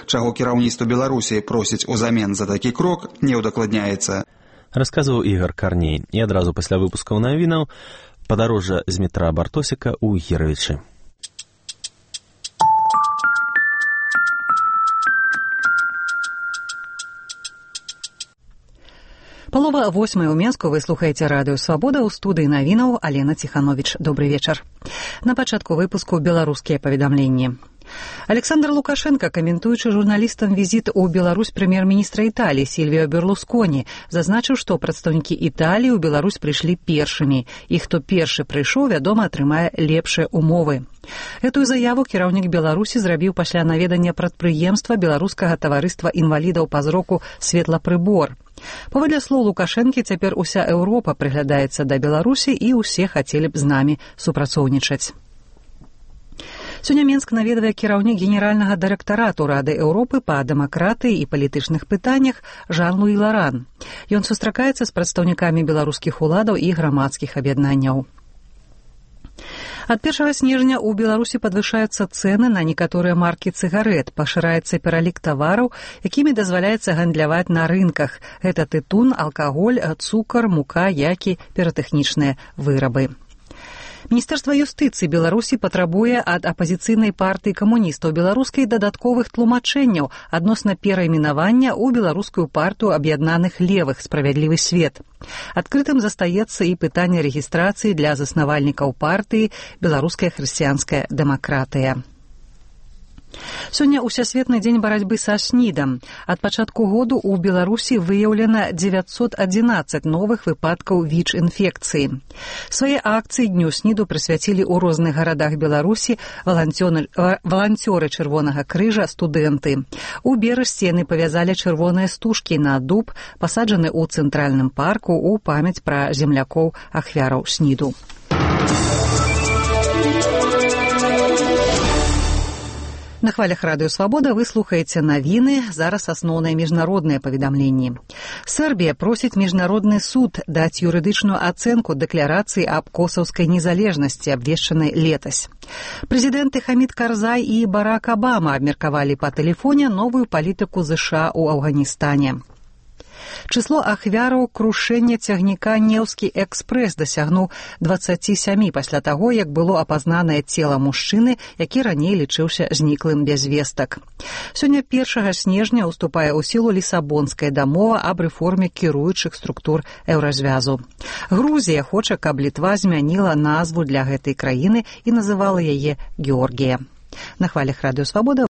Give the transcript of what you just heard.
Чаго кіраўніцтва Беларусі просіць узамен за такі крок, не ўдакладняецца. Расказваў Ігор Карней. І адразу пасля выпускаў навінаў падарожжа з метра Бартосіка ў Гіровічы. Палова 8 ў Менску, вы слухаеце радыё «Свабода», ў студыі навінаў Алена Ціхановіч. Добры вечар. На пачатку выпуску беларускія паведамленні. Александр Лукашенко, каментуючы журналістам візіт у Беларусь прэм'ер-міністра Італіі Сільвіо Берлусконі, зазначыў, што прадстаўнікі Італіі ў Беларусь прыйшлі першымі, і хто першы прыйшоў, вядома, атрымае лепшыя умовы. Гэтую заяву кіраўнік Беларусі зрабіў пасля наведання прадпрыемства беларускага таварыства інвалідаў па зроку «Светлапрыбор». Паводле слоў Лукашэнкі, цяпер уся Еўропа прыглядаецца да Беларусі і ўсе хацелі б з намі супрацоўнічаць. Сёння Менск наведвае кіраўнік генеральнага дырэктарату Рады Еўропы па дэмакратыі і палітычных пытаннях Жан-Луі Ларан. Ён сустракаецца з прадстаўнікамі беларускіх уладаў і грамадскіх аб'яднанняў. Ад 1 снежня ў Беларусі падвышаюцца цэны на некаторыя маркі цыгарэт, пашыраецца пералік тавараў, якімі дазваляецца гандляваць на рынках. Гэта тытун, алкаголь, цукар, мука, яйкі, піратэхнічныя вырабы. Міністэрства юстыцыі Беларусі патрабуе ад апазіцыйнай партыі камуністаў беларускай дадатковых тлумачэнняў адносна перайменавання ў беларускую партыю аб'яднаных левых «Справядлівы свет». Адкрытым застаецца і пытанне рэгістрацыі для заснавальнікаў партыі «Беларуская хрысціянская дэмакратыя». Сёння ўсесветны дзень барацьбы са СНІДам. Ад пачатку году ў Беларусі выяўлена 911 новых выпадкаў ВІЧ-інфекцыі. Свае акцыі Дню СНІДу прысвяцілі ў розных гарадах Беларусі валанцёры Чырвонага крыжа, студэнты. У Берасці яны павязалі чырвоныя стужкі на дуб, пасаджаны ў цэнтральным парку ў памяць пра землякоў ахвяраў СНІДу. На хвалях радыё «Свабода» вы слухаеце навіны, зараз асноўныя міжнародныя паведамленні. Сербія просіць міжнародны суд даць юрыдычную ацэнку дэкларацыі аб косаўскай незалежнасці, абвешчанай летась. Прэзідэнты Хамід Карзай і Барак Абама абмеркавалі па тэлефоне новую палітыку ЗША ў Афганістане. Число ахвяраў крушэння цягніка «Неўскі экспрэс» дасягнуў 27 пасля таго, як было апазнанае цела мужчыны, які раней лічыўся зніклым без вестак. Сёння 1 снежня ўступае ў сілу Лісабонская дамова аб рэформе кіруючых структур Еўразвязу. Грузія хоча, каб Літва змяніла назву для гэтай краіны і называла яе Георгія. На хвалях радыё «Свабода»